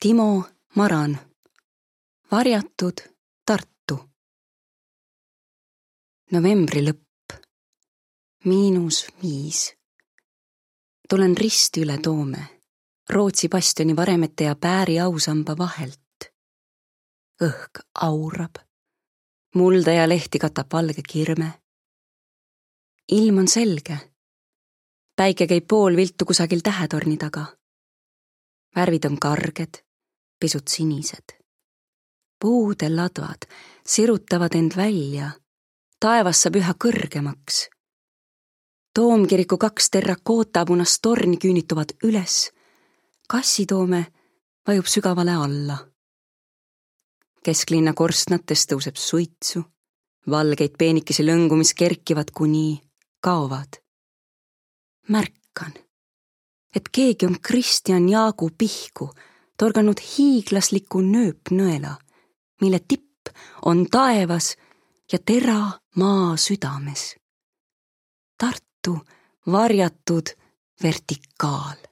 Timo Maran. Varjatud Tartu. Novembri lõpp. -5. Tulen risti üle Toome, Rootsi bastioni varemete ja Pääri ausamba vahelt. Õhk aurab. Mulda ja lehti katab valge kirme. Ilm on selge. Päike käib pool viltu kusagil tähetorni taga. Värvid on karged, pisut sinised. Puude ladvad sirutavad end välja. Taevas saab üha kõrgemaks. Toomkiriku 2 terrakootapunast torni küünituvad üles. Kassitoome vajub sügavale alla. Kesklinna korstnates tõuseb suitsu. Valgeid peenikesi lõngu, mis kerkivad kuni kaovad. Märkan, et keegi on Kristjan Jaagu pihku torganud hiiglasliku nööpnõela, mille tipp on taevas ja tera maa südames. Tartu varjatud vertikaal.